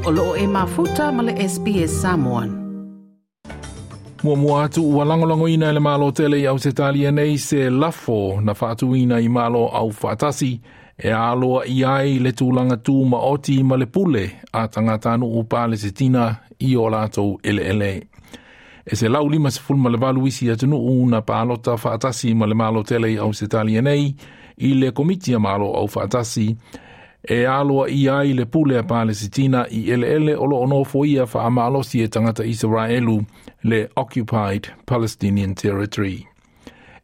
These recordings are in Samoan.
O loo e mafuta ma le SBS Samoan. Muamua atu ua lagolagoina e le Malo tele i Ausetalia nei se lafo na faatuina i Malo Aufaatasi e aloaia ai le tulaga tumaoti ma le pule a tagatanuu Palesitina i o latou eleele. E 158 isi atunuu na palota faatasi ma le Malo tele i Ausetalia nei i le Komiti a Malo Aufaatasi e aloaia ai le pule a Palesitina i eleele o loo nofoia faamalosi e tagata Isaraelu, le Occupied Palestinian Territory.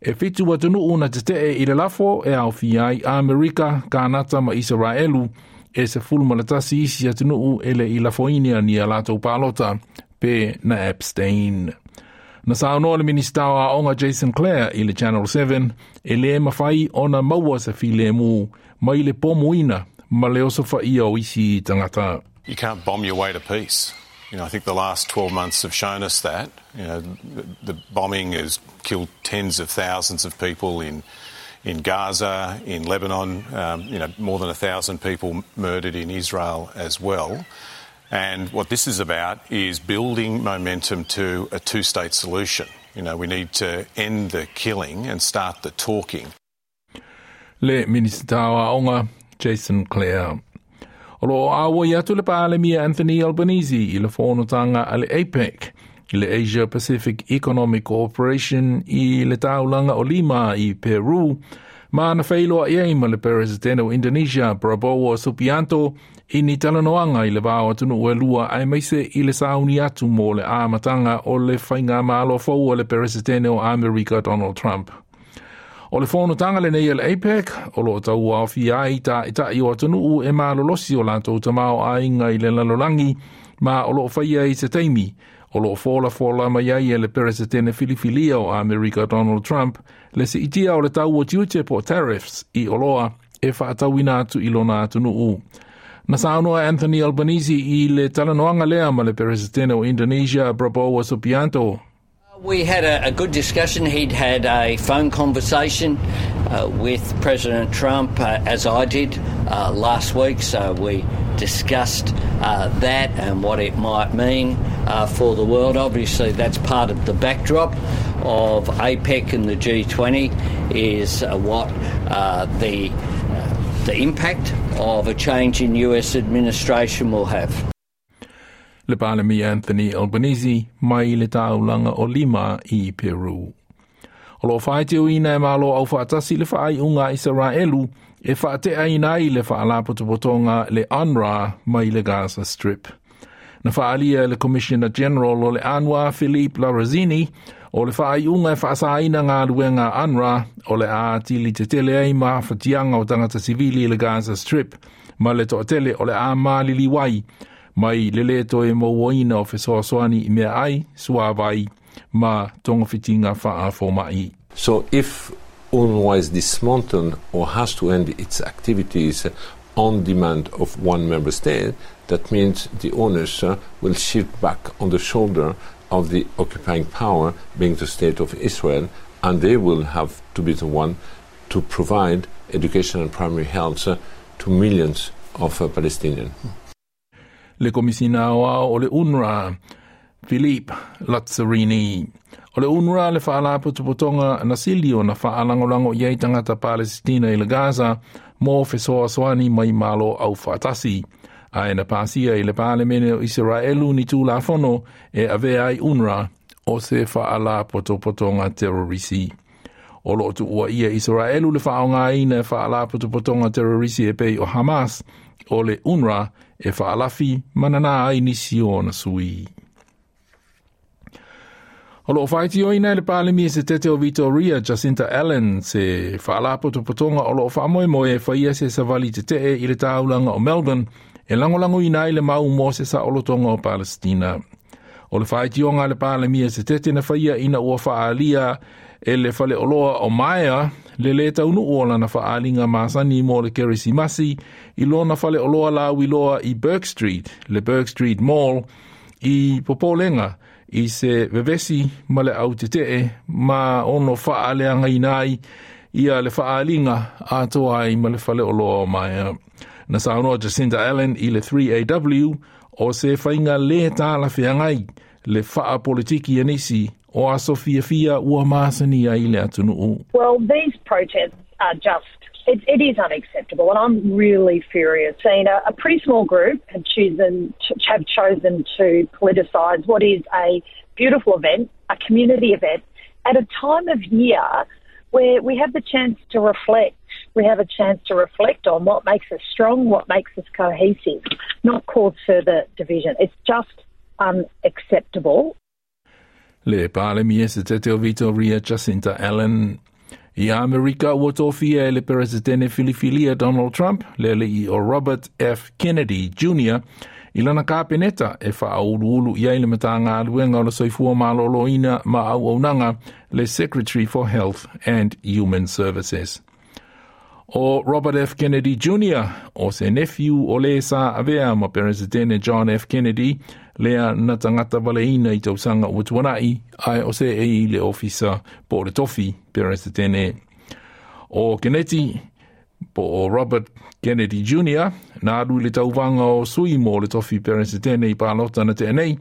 E 7 atunuu na tetee i le lafo e aofia ai Amerika, Kanata ma Isaraelu, e 11 isi atunuu e le i lafoina ni a latou palota pe na abstain. Na saunoa le Minista o Aoga Jason Clare i le Channel 7 e le mafai ona maua se filemu mai le pomuina ma le osofaia o isi tagata. You can't bomb your way to peace. I think the last 12 months have shown us that. The bombing has killed tens of thousands of people in Gaza, in Lebanon, more than 1,000 people murdered in Israel as well. And what this is about is building momentum to a two-state solution. We need to end the killing and start the talking. Le Minista o Aoga, Jason Clare. O loo auai atu le Palemia Anthony Albanese i le fonotaga a le APEC, i le Asia Pacific Economic Cooperation i le taulaga o Lima i Peru, ma na feiloai ai ma le Peresetene o Indonesia Prabowo Subianto i ni talanoaga i le va o atunuu e lua aemaise i le sauni atu mo le amataga o le faigamalo fou a le Peresetene o Amerika Donald Trump. O le fonotaga lenei a le APEC o loo tauaofia ai taʻitaʻi o atunuu e malolosi o latou tamaoaiga i le lalolagi ma o loo faia i se taimi o loo folafola mai ai e le Peresetene filifilia o Amerika Donald Trump le siitia o le tau o tiute po o tariffs i oloa e faatauina atu i lona atunuu. Na saunoa Anthony Albanese i le talanoaga lea ma le Peresetene o Indonesia Prabowo Subianto. We had a good discussion. He'd had a phone conversation with President Trump, as I did last week, so we discussed that and what it might mean for the world. Obviously, that's part of the backdrop of APEC and the G20 is what the impact of a change in US administration will have. Le Palemia Anthony Albanese mai le taulaga o Lima i Peru. O loo faitioina e Malo Aufaatasi le faaiuga a Isaraelu e faateaina ai le faalapotopotoga le UNRWA mai le Gaza Strip. Na faaalia e le Commissioner General o le UNRWA Philippe Lazzarini o le faaiuga e faasaina galuega a UNRWA o le a atili tetele ai mafatiaga o tagata sivili i le Gaza Strip ma le toatele o le a maliliu ai mai le lē toe mauaina o fesoasoani i meaai, suavai ma togafitiga faafomaʻi. So if UNRWA is dismantled or has to end its activities on demand of one member state, that means the onus will shift back on the shoulder of the occupying power, being the state of Israel, and they will have to be the one to provide education and primary health to millions of Palestinians. Le Komisina Aoao o le UNRWA, Philippe Lazzarini. O le UNRWA le faalapotopotoga na sili ona faalagolago i ai tagata Palesitina i le Gaza mo fesoasoani mai Malo Aufaatasi. Ae na pasia i le Palemene o Isaraelu ni tulafono e avea ai UNRWA o se faalapotopotoga terorisi. O loo tuuaia Isaraelu le faaaogaina e faalapotopotoga terorisi e pei o Hamas o le UNRWA e faalafi ma nanā ai nisi o ona sui. O loo faitioina e le Palemia setete o Victoria Jacinta Allan se faalapotopotoga o loo faamoemoe e faia se savali tetee i le taulaga o Melbourne e lagolagoina ai le mau mo se saolotoga o Palestina. O le faitioga a le Palemia setete na faia ina ua faaalia e le faleoloa o Myer le lē taunuu o lana faaaliga masani mo le Kerisimasi i lona faleoloa lauiloa i Bourke Street, le Bourke Street Mall, i popolega i se vevesi ma le autetee ma ono faaleagaina ai ia le faaaliga atoa ai ma le faleoloa o Myer. Na saunoa Jacinta Allan i le 3AW O se faiga lē talafeagai le faapolitiki a nisi o aso fiafia ua masani ai le atunuu. Well, these protests are just, it is unacceptable, and I'm really furious. Seeing a pretty small group have chosen to politicise what is a beautiful event, a community event, at a time of year where we have the chance to reflect. We have a chance to reflect on what makes us strong, what makes us cohesive, not cause further division. It's just unacceptable. Le Palemia se tete o Victoria Jacinta Allan. I Amerika ua tofia e le Peresetene filifilia Donald Trump, le alii o Robert F. Kennedy Jr. i lana kapeneta e faauluulu i ai le Matagaluega o le Soifua Maloloina ma Auaunaga, le Secretary for Health and Human Services. O Robert F. Kennedy Jr. o se nephew o le sa avea ma Peresetene John F. Kennedy, lea na tagata valeina i tausaga ua tuanai, ae o seei i le ofisa po o le tofi Peresetene. O Kennedy, po o Robert Kennedy Jr., na alu i le tauvaga o sui mo le tofi Peresetene i palota na tea nei,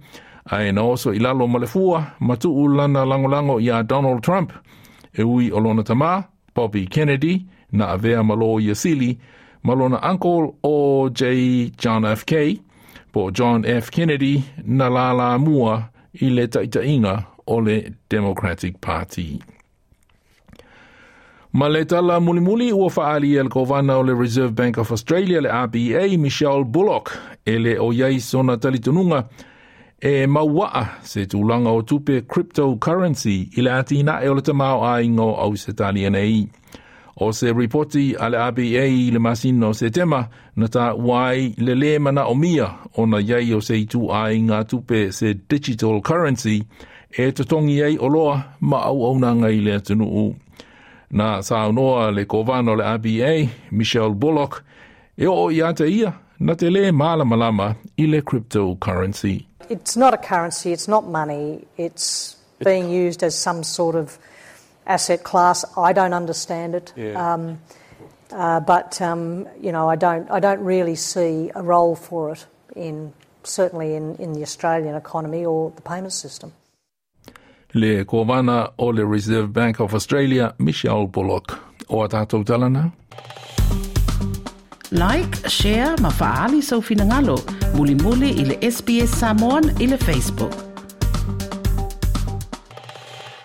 ae na oso i lalo ma le fua, ma tuu lana lagolago iā Donald Trump, e ui o lona tamā, Bobby Kennedy, na avea ma loia sili, ma lona uncle o J. John F. K., po John F. Kennedy, na lalamua i le taitaiga o le Democratic Party. Ma le tala mulimuli ua faaali e le kovana o le Reserve Bank of Australia, le RBA, Michelle Bullock, e le o iai sona talitonuga e mauaa se tulaga o tupe cryptocurrency i le atinae o le tamaoaiga o Ausetalia nei. O se ripoti a le RBA i le masina o Setema na taua ai le lē manaomia ona iai o se ituaiga tupe se digital currency e totogi ai oloa ma auaunaga i le atunuu. Na saunoa le kovana o le RBA, Michelle Bullock, e oo ia te ia na te lē malamalama i le cryptocurrency. It's not a currency, it's not money, it's being used as some sort of asset class. I don't understand it. But I don't really see a role for it certainly in the Australian economy or the payment system. Le kovana o le Reserve Bank of Australia, Michelle Bullock. O a tātou talana? Like, share, ma faali sau finagalo. Mulimuli i le SBS Samoan i le Facebook.